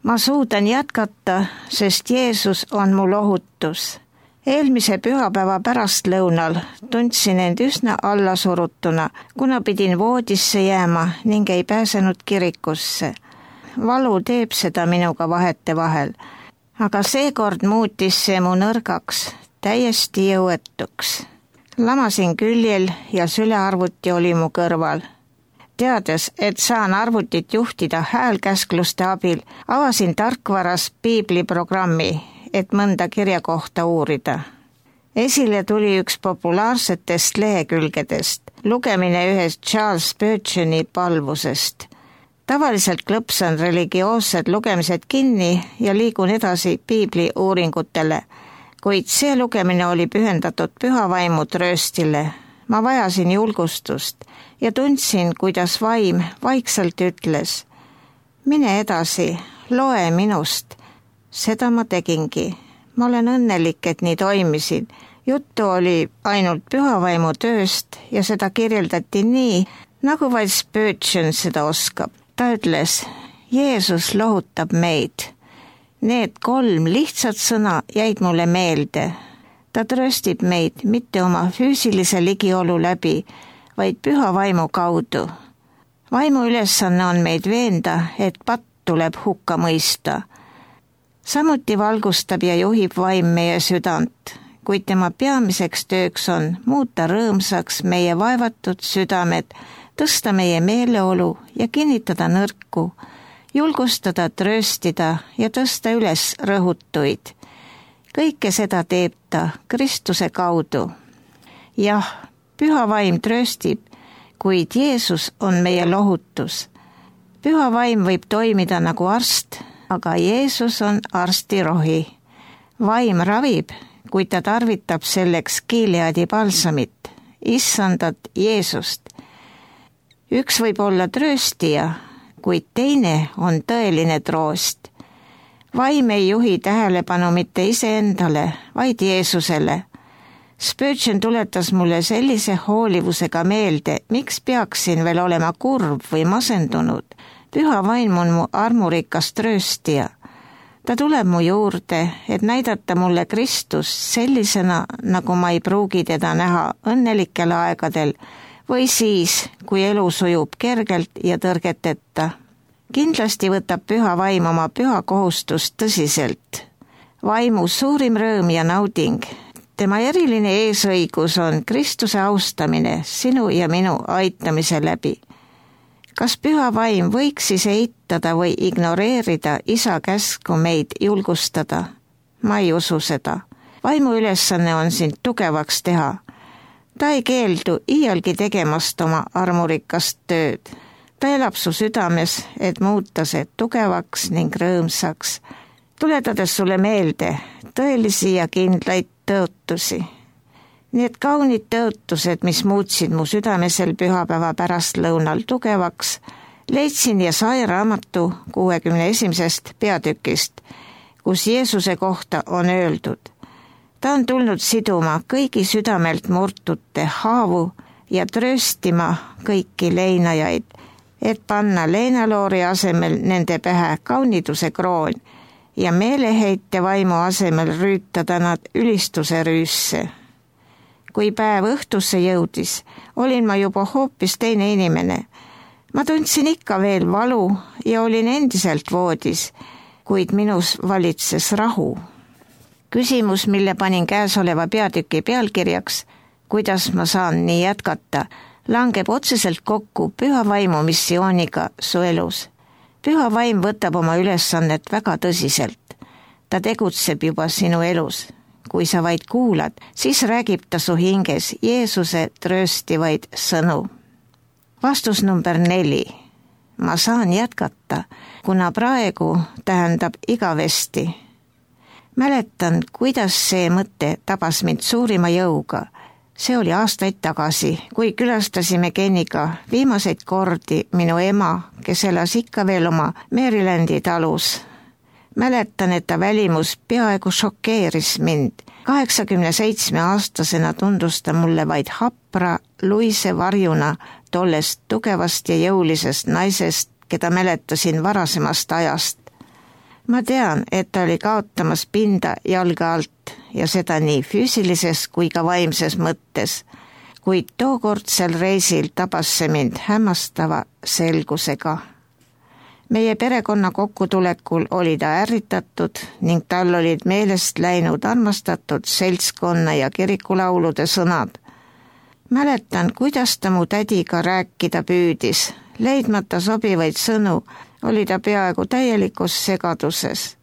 Ma suudan jätkata, sest Jeesus on mu lohutus. Eelmise pühapäeva pärastlõunal tundsin end üsna allasurutuna, kuna pidin voodisse jääma ning ei pääsenud kirikusse. Valu teeb seda minuga vahetevahel, aga seekord muutis see mu nõrgaks, täiesti jõuetuks. Lamasin küljel ja sülearvuti oli mu kõrval. Teades, et saan arvutit juhtida häälkäskluste abil, avasin tarkvaras piibliprogrammi, et mõnda kirjakohta uurida. Esile tuli üks populaarsetest lehekülgedest, lugemine ühest Charles Spurgeoni palvusest. Tavaliselt klõpsan religioossed lugemised kinni ja liigun edasi piibli uuringutele, kuid see lugemine oli pühendatud püha vaimu trööstile. Ma vajasin julgustust ja tundsin, kuidas vaim vaikselt ütles: mine edasi, loe minust. Seda ma tegingi. Ma olen õnnelik, et nii toimisin. Juttu oli ainult pühavaimu tööst ja seda kirjeldati nii, nagu vaid Spurgeon seda oskab. Ta ütles: Jeesus lohutab meid. Need 3 lihtsat sõna jäid mulle meelde. Ta trööstib meid mitte oma füüsilise ligiolu läbi, vaid püha vaimu kaudu. Vaimu ülesanne on meid veenda, et patt tuleb hukka mõista. Samuti valgustab ja juhib vaim meie südant, kuid tema peamiseks tööks on muuta rõõmsaks meie vaevatud südamed, tõsta meie meeleolu ja kinnitada nõrku, julgustada, trööstida ja tõsta üles rõhutuid. Kõike seda teeb ta Kristuse kaudu. Jah, püha vaim trööstib, kuid Jeesus on meie lohutus. Püha vaim võib toimida nagu arst, aga Jeesus on arstirohi. Vaim ravib, kuid ta tarvitab selleks Gileadi balsamit, issandat Jeesust. Üks võib olla trööstija, kuid teine on tõeline troost. Vaim ei juhi tähelepanu mitte iseendale, vaid Jeesusele. Spurgeon tuletas mulle sellise hoolivusega meelde, miks peaksin veel olema kurb või masendunud. Püha vaim on mu armurikas trööstija. Ta tuleb mu juurde, et näidata mulle Kristus sellisena, nagu ma ei pruugi teda näha õnnelikel aegadel või siis, kui elu sujub kergelt ja tõrgeteta. Kindlasti võtab püha vaim oma püha kohustust tõsiselt. Vaimu suurim rõõm ja nauding, tema eriline eesõigus on Kristuse austamine sinu ja minu aitamise läbi. Kas püha vaim võiks siis eitada või ignoreerida isa käsku meid julgustada? Ma ei usu seda. Vaimu ülesanne on sind tugevaks teha. Ta ei keeldu iialgi tegemast oma armurikast tööd. Ta elab su südames, et muuta see tugevaks ning rõõmsaks, tuletades sulle meelde tõelisi ja kindlaid tõotusi. Need kaunid tõotused, mis muutsid mu südamesel pühapäeva pärastlõunal tugevaks, leidsin Jesaja raamatu 61. peatükist, kus Jeesuse kohta on öeldud: ta on tulnud siduma kõigi südamelt murtute haavu ja trööstima kõiki leinajaid, et panna leinaloori asemel nende pähe kauniduse kroon ja meeleheite vaimu asemel rüütada nad ülistuse rüüsse. Kui päev õhtusse jõudis, olin ma juba hoopis teine inimene. Ma tundsin ikka veel valu ja olin endiselt voodis, kuid minus valitses rahu. Küsimus, mille panin käesoleva peatüki pealkirjaks, kuidas ma saan nii jätkata, langeb otseselt kokku püha vaimu missiooniga su elus. Püha vaim võtab oma ülesannet väga tõsiselt. Ta tegutseb juba sinu elus. Kui sa vaid kuulad, siis räägib ta su hinges Jeesuse trööstivaid sõnu. Vastus number 4. Ma saan jätkata, kuna praegu tähendab igavesti. Mäletan, kuidas see mõte tabas mind suurima jõuga. See oli aastaid tagasi, kui külastasime Kenniga viimaseid kordi minu ema, kes elas ikka veel oma Marylandi talus. Mäletan, et ta välimus peaaegu šokeeris mind. 87-aastasena tundus ta mulle vaid hapra luise varjuna tollest tugevast ja jõulisest naisest, keda mäletasin varasemast ajast. Ma tean, et ta oli kaotamas pinda jalga alt ja seda nii füüsilises kui ka vaimses mõttes, kuid tookordsel reisil tabas see mind hämmastava selgusega. Meie perekonna kokkutulekul oli ta ärritatud ning tal olid meelest läinud armastatud seltskonna ja kirikulaulude sõnad. Mäletan, kuidas ta mu tädiga rääkida püüdis. Leidmata sobivaid sõnu oli ta peaaegu täielikus segaduses.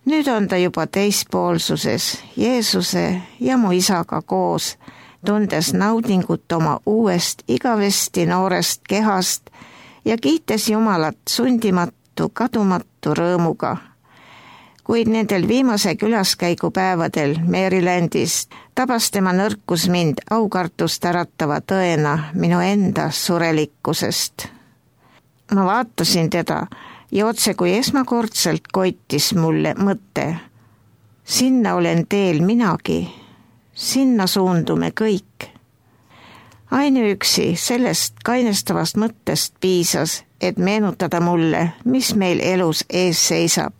Nüüd on ta juba teispoolsuses, Jeesuse ja mu isaga koos, tundes naudingut oma uuest igavesti noorest kehast ja kiites Jumalat sundimatu, kadumatu rõõmuga. Kuid nendel viimase külaskäigupäevadel Marylandis tabas tema nõrkus mind aukartust äratava tõena minu enda surelikkusest. Ma vaatasin teda ja otse kui esmakordselt koitis mulle mõte. Sinna olen teel minagi, sinna suundume kõik. Ainuüksi sellest kainestavast mõttest piisas, et meenutada mulle, mis meil elus ees seisab.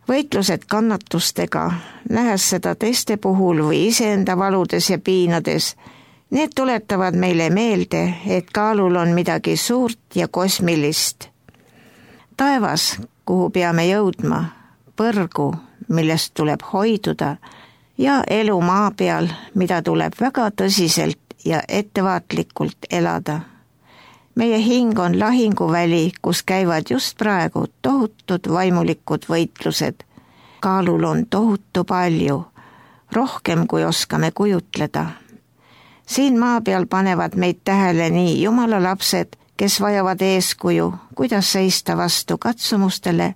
Võitlused kannatustega, nähes seda teiste puhul või iseenda valudes ja piinades, need tuletavad meile meelde, et kaalul on midagi suurt ja kosmilist. Taevas, kuhu peame jõudma, põrgu, millest tuleb hoiduda, ja elu maa peal, mida tuleb väga tõsiselt ja ettevaatlikult elada. Meie hing on lahinguväli, kus käivad just praegu tohutud vaimulikud võitlused. Kaalul on tohutu palju, rohkem kui oskame kujutleda. Siin maa peal panevad meid tähele nii Jumala lapsed, kes vajavad eeskuju, kuidas seista vastu katsumustele,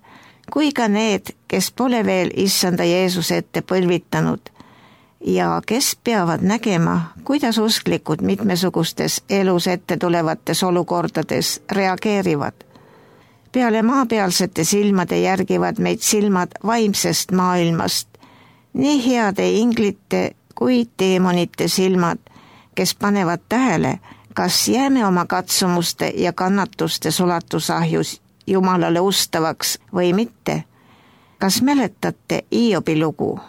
kui ka need, kes pole veel issanda Jeesuse ette põlvitanud ja kes peavad nägema, kuidas usklikud mitmesugustes elus ette tulevates olukordades reageerivad. Peale maapealsete silmade järgivad meid silmad vaimsest maailmast, nii heade inglite kui teemonite silmad, kes panevad tähele, kas jääme oma katsumuste ja kannatuste sulatusahjus Jumalale ustavaks või mitte. Kas mäletate Hiobi lugu?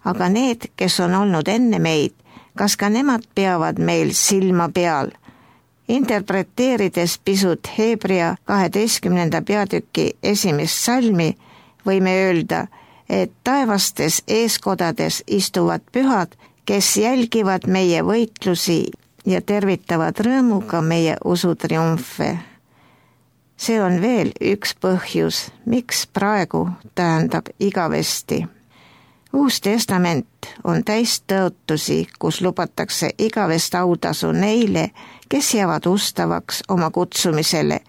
Aga need, kes on olnud enne meid, kas ka nemad peavad meil silma peal? Interpreteerides pisut Hebrea 12. peatüki 1. salmi, võime öelda, et taevastes eeskodades istuvad pühad, kes jälgivad meie võitlusi ja tervitavad rõõmuga meie usutriumfe. See on veel üks põhjus, miks praegu tähendab igavesti. Uus testament on täis tõotusi, kus lubatakse igavest autasu neile, kes jäävad ustavaks oma kutsumisele,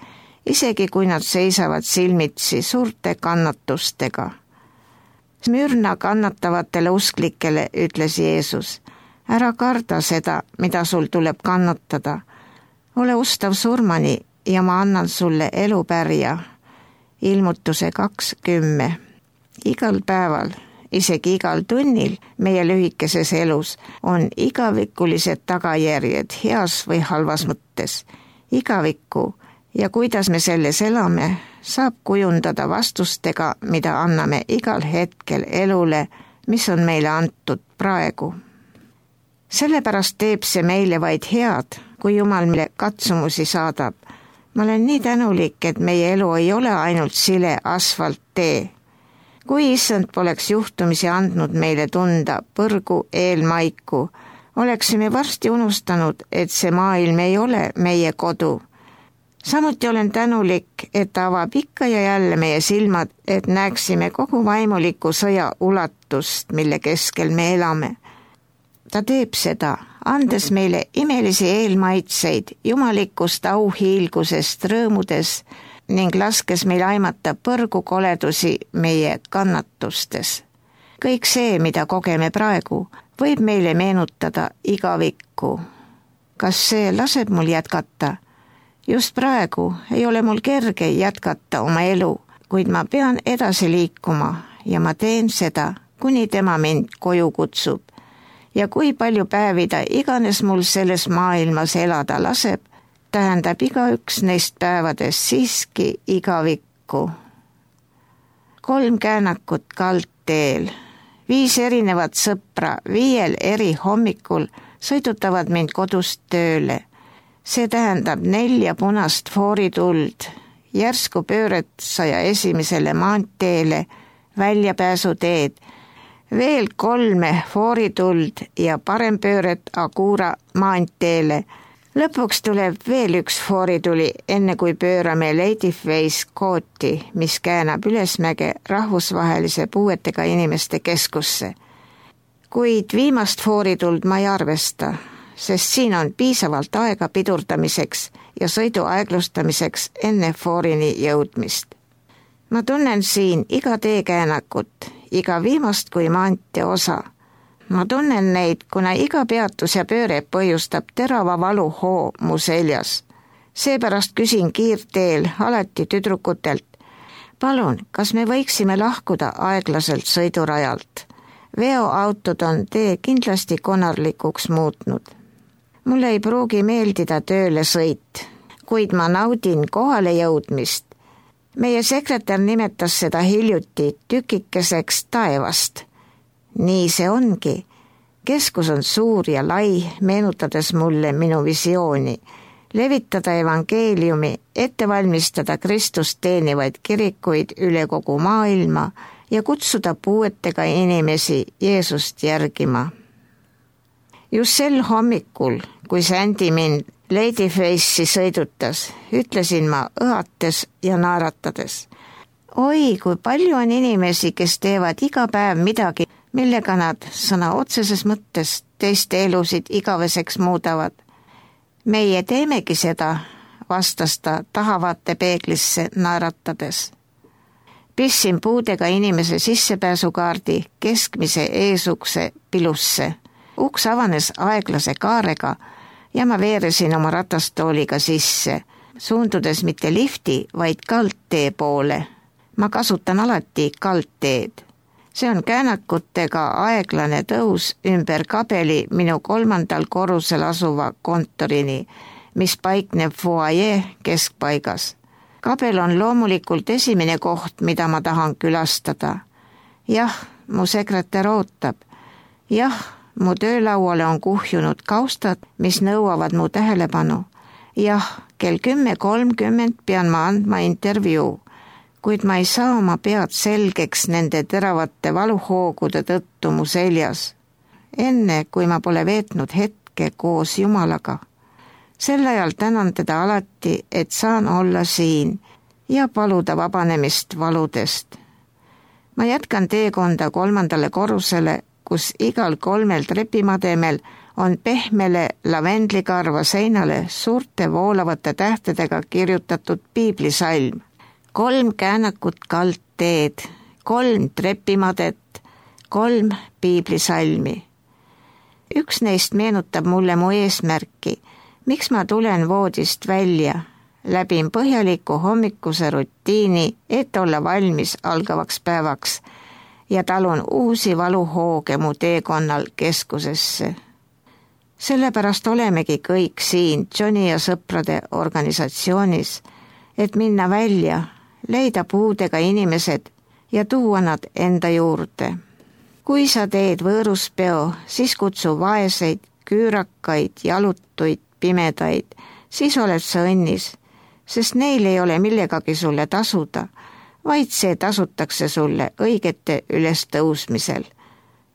isegi kui nad seisavad silmitsi suurte kannatustega. Smürna kannatavatele usklikele ütles Jeesus, ära karda seda, mida sul tuleb kannatada. Ole ustav surmani ja ma annan sulle elupärja. Ilmutuse 2:10. Igal päeval, isegi igal tunnil meie lühikeses elus on igavikulised tagajärjed heas või halvas mõttes. Igavikku ja kuidas me selles elame, saab kujundada vastustega, mida anname igal hetkel elule, mis on meile antud praegu. Sellepärast teeb see meile vaid head, kui Jumal meile katsumusi saadab. Ma olen nii tänulik, et meie elu ei ole ainult sile asfalttee. Kui issand poleks juhtumisi andnud meile tunda põrgu eelmaiku, oleksime varsti unustanud, et see maailm ei ole meie kodu. Samuti olen tänulik, et ta avab ikka ja jälle meie silmad, et näeksime kogu vaimuliku sõja ulatust, mille keskel me elame. Ta teeb seda, andes meile imelisi eelmaitseid jumalikust auhiilgusest rõõmudes ning laskes meil aimata põrgu koledusi meie kannatustes. Kõik see, mida kogeme praegu, võib meile meenutada igavikku. Kas see laseb mul jätkata? Just praegu ei ole mul kerge jätkata oma elu, kuid ma pean edasi liikuma ja ma teen seda, kuni tema mind koju kutsub. Ja kui palju päevi ta iganes mul selles maailmas elada laseb, tähendab igaüks neist päevadest siiski igavikku. 3 käänakut kaldteel, 5 erinevat sõpra 5 eri hommikul sõidutavad mind kodust tööle. See tähendab 4 punast foorituld, järsku pööret 101. maanteele, väljapääsuteed, veel 3 foorituld ja parempööret Agura maanteele. Lõpuks tuleb veel 1 foorituli, enne kui pöörame Ladyface kooti, mis käänab ülesmäge rahvusvahelise puuetega inimeste keskusse. Kuid viimast foorituld ma ei arvesta, sest siin on piisavalt aega pidurdamiseks ja sõidu aeglustamiseks enne foorini jõudmist. Ma tunnen siin iga teekäänakut, iga viimast kui maantee osa. Ma tunnen neid, kuna iga peatus ja pööre põhjustab terava valuhoo mu seljas. Seepärast küsin kiirteel alati tüdrukutelt, palun, kas me võiksime lahkuda aeglaselt sõidurajalt? Veoautod on tee kindlasti konarlikuks muutnud. Mulle ei pruugi meeldida tööle sõit, kuid ma naudin kohale jõudmist. Meie sekretär nimetas seda hiljuti tükikeseks taevast. Nii see ongi. Keskus on suur ja lai, meenutades mulle minu visiooni. Levitada evangeeliumi, ette valmistada Kristust teenivaid kirikuid üle kogu maailma ja kutsuda puuetega inimesi Jeesust järgima. Just sel hommikul, kui Sandy mind Ladyface'i sõidutas, ütlesin ma õhates ja naeratades. Oi, kui palju on inimesi, kes teevad iga päev midagi, millega nad sõna otseses mõttes teiste elusid igaveseks muudavad. Meie teemegi seda, vastas ta tahavate peeglisse naeratades. Pissin puudega inimese sissepääsukaardi keskmise eesukse pilusse. Uks avanes aeglase kaarega ja ma veeresin oma ratastooliga sisse, suundudes mitte lifti, vaid kaldtee poole. Ma kasutan alati kaldteed. See on käänakutega aeglane tõus ümber kabeli minu 3. korrusel asuva kontorini, mis paikneb foajee keskpaigas. Kabel on loomulikult esimene koht, mida ma tahan külastada. Jah, mu sekretär ootab. Jah, mu töölauale on kuhjunud kaustad, mis nõuavad mu tähelepanu. Jah, kell 10:30 pean ma andma intervjuu, kuid ma ei saa oma pead selgeks nende teravate valuhoogude tõttu mu seljas. Enne, kui ma pole veetnud hetke koos Jumalaga. Sel ajal tänan teda alati, et saan olla siin ja paluda vabanemist valudest. Ma jätkan teekonda 3. korrusele, kus igal 3 trepimademel on pehmele lavendlikarva seinale suurte voolavate tähtedega kirjutatud piiblisalm. 3 käänakut kaldteed, 3 trepimadet, 3 piiblisalmi. Üks neist meenutab mulle mu eesmärki, miks ma tulen voodist välja, läbin põhjaliku hommikuse rutiini, et olla valmis algavaks päevaks ja talun uusi valuhooge mu teekonnal keskusesse. Sellepärast olemegi kõik siin Johnny ja sõprade organisatsioonis, et minna välja, leida puudega inimesed ja tuua nad enda juurde. Kui sa teed võõruspeo, siis kutsu vaeseid, küürakaid, jalutuid, pimedaid, siis oled sa õnnis, sest neil ei ole millegagi sulle tasuda, vaid see tasutakse sulle õigete ülestõusmisel.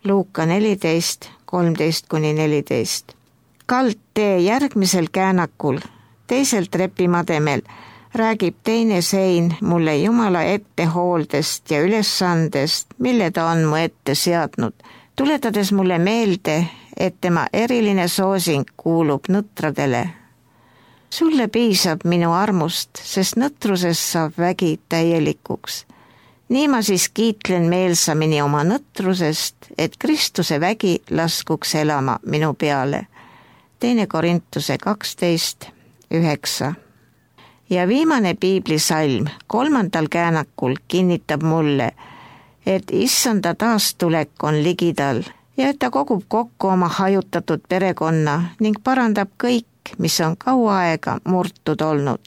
Luuka 14, 13-14. Kaldtee järgmisel käänakul, teisel trepimademel, räägib teine sein mulle Jumala ettehooldest ja ülesandest, mille ta on mu ette seadnud, tuletades mulle meelde, et tema eriline soosing kuulub nõtradele. Sulle piisab minu armust, sest nõtrusest saab vägi täielikuks. Nii ma siis kiitlen meelsamini oma nõtrusest, et Kristuse vägi laskuks elama minu peale. 2. Korintuse 12, 9. Ja viimane piiblisalm 3. käänakul kinnitab mulle, et issanda taastulek on ligidal ja et ta kogub kokku oma hajutatud perekonna ning parandab kõik, mis on kaua aega murtud olnud.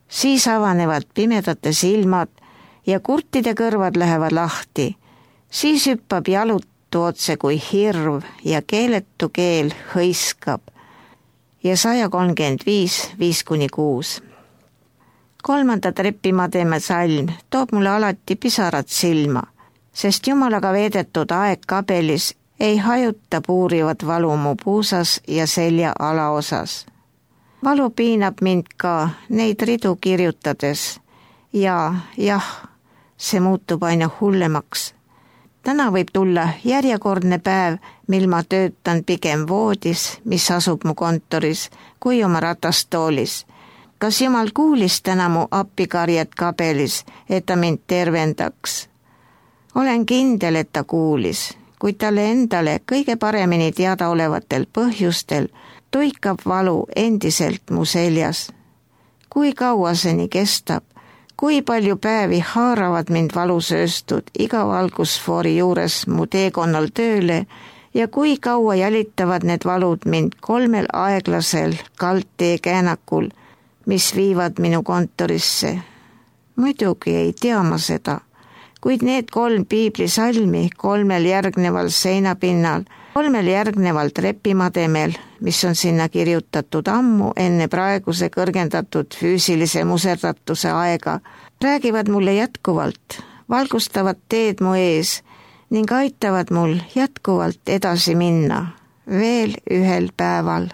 Siis avanevad pimedate silmad ja kurtide kõrvad lähevad lahti. Siis hüppab jalutu otse kui hirv ja keeletu keel hõiskab. Ja 135, 5-6. 3. trepimademe salm toob mulle alati pisarad silma, sest Jumalaga veedetud aeg kabelis ei hajuta puurivat valu mu puusas ja selja alaosas. Valu piinab mind ka neid ridu kirjutades ja jah, see muutub aina hullemaks. Täna võib tulla järjekordne päev, mil ma töötan pigem voodis, mis asub mu kontoris, kui oma ratastoolis. Kas Jumal kuulis täna mu appikarjet kabelis, et ta mind tervendaks? Olen kindel, et ta kuulis, kuid talle endale kõige paremini teada olevatel põhjustel tuikab valu endiselt mu seljas. Kui kaua see nii kestab? Kui palju päevi haaravad mind valusööstud iga valgusfoori juures mu teekonnal tööle ja kui kaua jälitavad need valud mind 3 aeglasel kaldtee käänakul, mis viivad minu kontorisse? Muidugi ei tea ma seda, kuid need 3 piiblisalmi 3 järgneval seinapinnal, 3 järgneval trepimademel, mis on sinna kirjutatud ammu enne praeguse kõrgendatud füüsilise muserdatuse aega, räägivad mulle jätkuvalt, valgustavad teed mu ees ning aitavad mul jätkuvalt edasi minna, veel ühel päeval.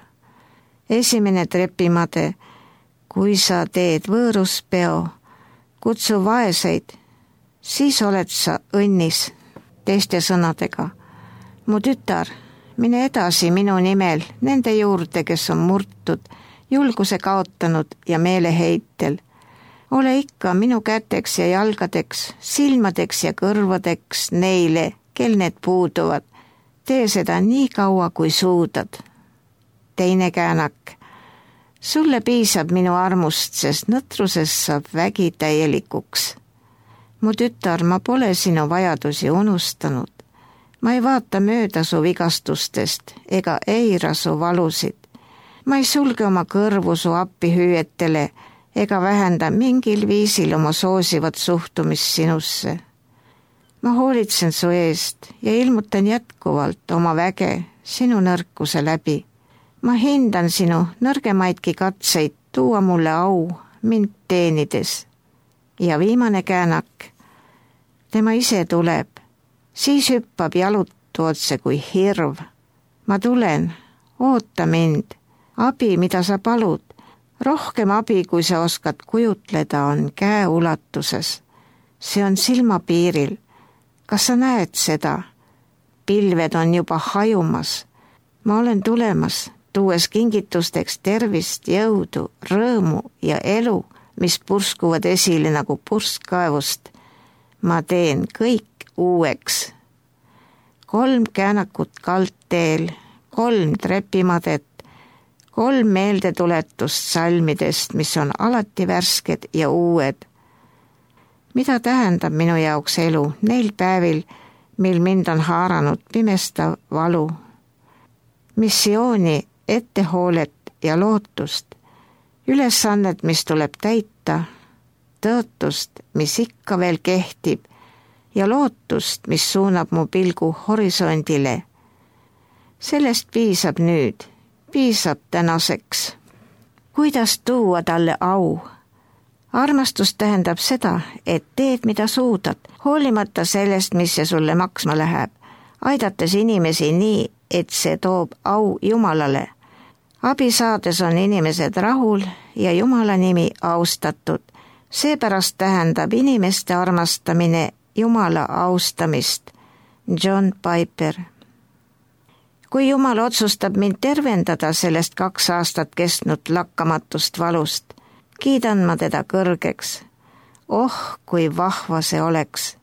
1. trepimade, kui sa teed võõruspeo, kutsu vaeseid, siis oled sa õnnis. Teiste sõnadega, mu tütar, mine edasi minu nimel nende juurde, kes on murtud, julguse kaotanud ja meeleheitel. Ole ikka minu käteks ja jalgadeks, silmadeks ja kõrvadeks neile, kel need puuduvad. Tee seda nii kaua, kui suudad. 2. käänak. Sulle piisab minu armust, sest nõtrusest saab vägi täielikuks. Mu tütar, ma pole sinu vajadusi unustanud. Ma ei vaata mööda su vigastustest ega eira su valusid. Ma ei sulge oma kõrvu su appihüüetele ega vähenda mingil viisil oma soosivat suhtumist sinusse. Ma hoolitsen su eest ja ilmutan jätkuvalt oma väge sinu nõrkuse läbi. Ma hindan sinu nõrgemaidki katseid tuua mulle au mind teenides. Ja viimane käänak. Tema ise tuleb, siis hüppab jalutu otse kui hirv. Ma tulen, oota mind, abi, mida sa palud. Rohkem abi, kui sa oskad kujutleda, on käeulatuses. See on silmapiiril. Kas sa näed seda? Pilved on juba hajumas. Ma olen tulemas, tuues kingitusteks tervist, jõudu, rõõmu ja elu, mis purskuvad esile nagu purskkaevust. Ma teen kõik uueks. 3 käänakut kaldteel, 3 trepimadet, 3 meeldetuletust salmidest, mis on alati värsked ja uued. Mida tähendab minu jaoks elu neil päevil, mil mind on haaranud pimestav valu? Missiooni, ettehoolet ja lootust, ülesannet, mis tuleb täita, tõotust, mis ikka veel kehtib ja lootust, mis suunab mu pilgu horisondile. Sellest piisab nüüd, piisab tänaseks. Kuidas tuua talle au? Armastus tähendab seda, et teed, mida suudad, hoolimata sellest, mis see sulle maksma läheb, aidates inimesi nii, et see toob au Jumalale. Abi saades on inimesed rahul ja Jumala nimi austatud. Seepärast tähendab inimeste armastamine Jumala austamist. John Piper. Kui Jumal otsustab mind tervendada sellest 2 aastat kestnud lakkamatust valust, kiidan ma teda kõrgeks. Oh, kui vahva see oleks.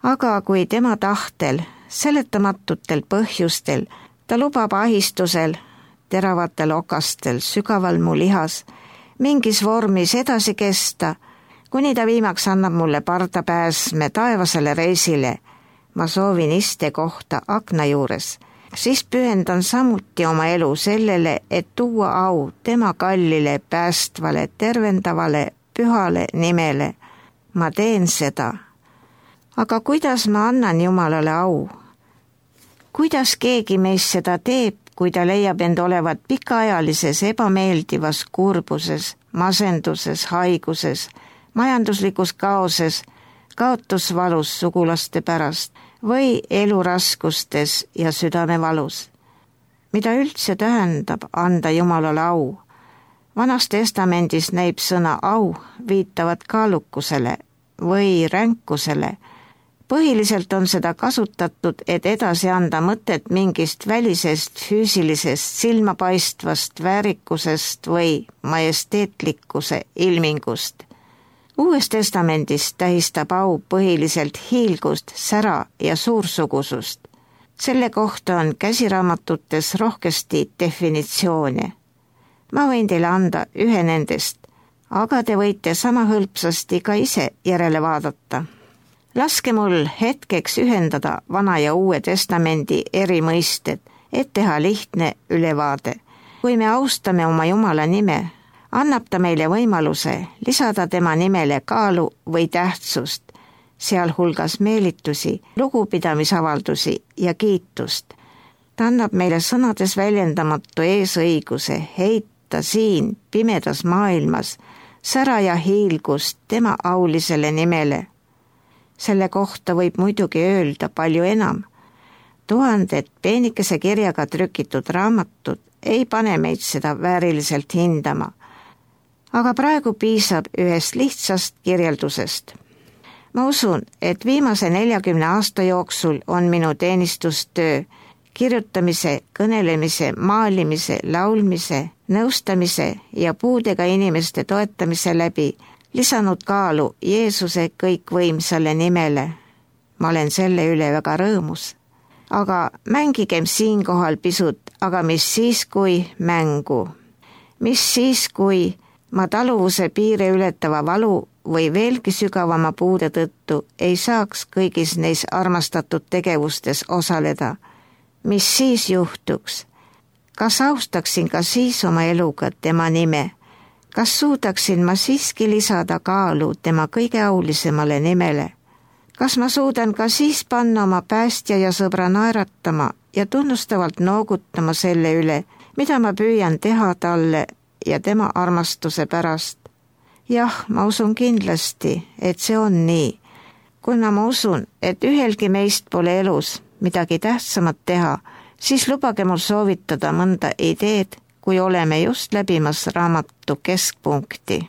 Aga kui tema tahtel, seletamatutel põhjustel, ta lubab ahistusel, teravatel okastel, sügaval mu lihas, mingis vormis edasi kesta, kuni ta viimaks annab mulle pardapääsme taevasele reisile. Ma soovin istekohta akna juures. Siis pühendan samuti oma elu sellele, et tuua au tema kallile, päästvale, tervendavale, pühale nimele. ma teen seda. Aga kuidas ma annan Jumalale au? Kuidas keegi meist seda teeb, kui ta leiab end olevat pikaajalises ebameeldivas kurbuses, masenduses, haiguses, majanduslikus kaoses, kaotusvalus sugulaste pärast või eluraskustes ja südamevalus? Mida üldse tähendab anda Jumalale au? Vanas testamendis näib sõna au viitavat kaalukusele või ränkusele. Põhiliselt on seda kasutatud, et edasi anda mõtet mingist välisest füüsilisest silmapaistvast väärikusest või majesteetlikkuse ilmingust. Uues testamendis tähistab au põhiliselt hiilgust, sära ja suursugusust. Selle kohta on käsiraamatutes rohkesti definitsioone. Ma võin teile anda ühe nendest, aga te võite sama hõlpsasti ka ise järele vaadata. Laske mul hetkeks ühendada Vana ja Uue Testamendi eri mõisted, et teha lihtne ülevaade. Kui me austame oma Jumala nime, annab ta meile võimaluse lisada tema nimele kaalu või tähtsust, sealhulgas meelitusi, lugupidamisavaldusi ja kiitust. Ta annab meile sõnades väljendamatu eesõiguse heita siin pimedas maailmas sära ja hiilgust tema aulisele nimele. Selle kohta võib muidugi öelda palju enam. 1000 peenikese kirjaga trükitud raamatud ei pane meid seda vääriliselt hindama. Aga praegu piisab ühest lihtsast kirjeldusest. Ma usun, et viimase 40 aasta jooksul on minu teenistustöö kirjutamise, kõnelemise, maalimise, laulmise, nõustamise ja puudega inimeste toetamise läbi lisanud kaalu Jeesuse kõikvõimsale nimele. Ma olen selle üle väga rõõmus. Aga mängigem siinkohal pisut, aga mis siis kui mängu? Mis siis kui ma taluvuse piire ületava valu või veelgi sügavama puude tõttu ei saaks kõigis neis armastatud tegevustes osaleda? Mis siis juhtuks? Kas austaksin ka siis oma eluga tema nime? Kas suudaksin ma siiski lisada kaalu tema kõige aulisemale nimele? Kas ma suudan ka siis panna oma päästja ja sõbra naeratama ja tunnustavalt noogutama selle üle, mida ma püüan teha talle ja tema armastuse pärast? Jah, ma usun kindlasti, et see on nii. Kuna ma usun, et ühelgi meist pole elus midagi tähtsamat teha, siis lubage mul soovitada mõnda ideed, kui oleme just läbimas raamatu keskpunkti.